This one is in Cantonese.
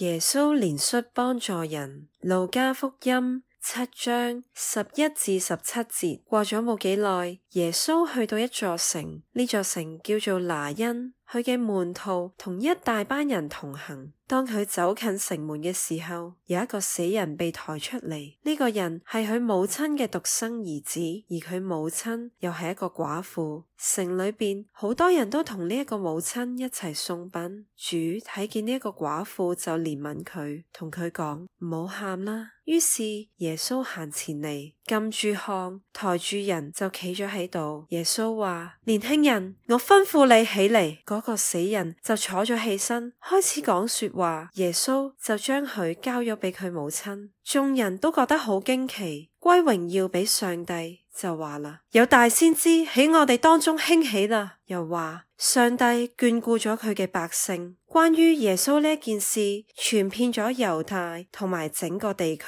耶穌憐恤幫助人，路加福音7章11至17節。過咗冇幾耐，耶穌去到一座城，呢座城叫做拿因。佢嘅門徒同一大班人同行。當佢走近城門嘅時候，有一個死人被抬出嚟。呢個人係佢母親嘅獨生兒子，而佢母親又係一個寡婦。城裏邊好多人都同呢一個母親一齊送殯。主睇見呢一個寡婦就憐憫佢，同佢講唔好喊啦。於是耶穌行前嚟，撳住項，抬住人就企咗喺度。耶穌話：年輕人，我吩咐你起嚟。嗰個死人就坐咗起身，開始講說話。耶穌就將佢交咗俾佢母親。眾人都覺得好驚奇，歸榮耀俾上帝，就話啦：有大先知喺我哋當中興起啦。又話上帝眷顧咗佢嘅百姓。關於耶穌呢件事傳遍咗猶太同埋整個地區。